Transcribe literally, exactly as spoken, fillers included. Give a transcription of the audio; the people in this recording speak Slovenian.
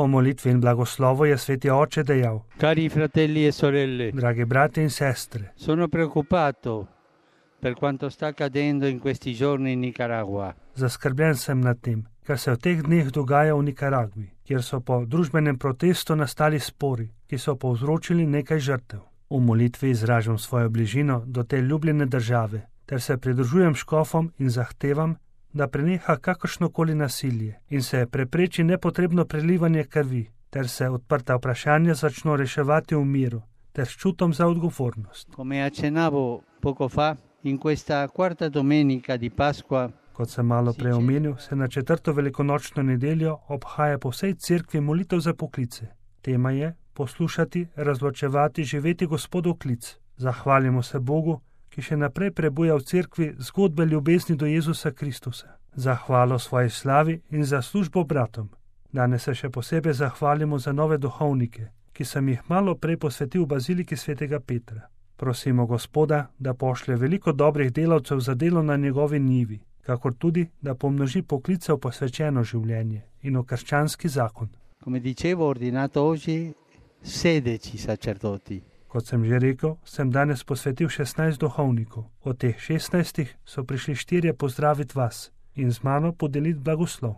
Po molitvi in blagoslovu je sveti oče dejal: Cari fratelli e sorelle, dragi brati in sestre, sono preoccupato per quanto sta accadendo in questi giorni in Nicaragua. zaskrbljen sem nad tem, kar se v teh dneh dogaja v Nikaragvi, kjer so po družbenem protestu nastali spori, ki so povzročili nekaj žrtev. V molitvi izražam svojo bližino do te ljubljene države, ter se pridružujem škofom in zahtevam, da preneha kakršnokoli nasilje in se prepreči nepotrebno prelivanje krvi, ter se odprta vprašanja začno reševati v miru, ter s čutom za odgovornost. Come accennavo poco fa, in questa quarta domenica di Pasqua, Kot sem malo prej omenil, se na četrto velikonočno nedeljo obhaja po vsej cerkvi molitev za poklice. Tema je poslušati, razločevati, živeti Gospodov klic. Zahvalimo se Bogu, ki še naprej prebuja v cerkvi zgodbe ljubezni do Jezusa Kristusa. Zahvalo svoji slavi in za službo bratom. Danes se še posebej zahvalimo za nove duhovnike, ki sem jih malo prej posvetil v baziliki svetega Petra. Prosimo Gospoda, da pošlje veliko dobrih delavcev za delo na njegovi njivi, kakor tudi, da pomnoži poklice v posvečeno življenje in v krščanski zakon. come dicevo, ho ordinato oggi sedici sacerdoti. Kot sem že rekel, sem danes posvetil šestnajst duhovnikov. Od teh šestnajstih so prišli štirje pozdraviti vas in z mano podeliti blagoslov.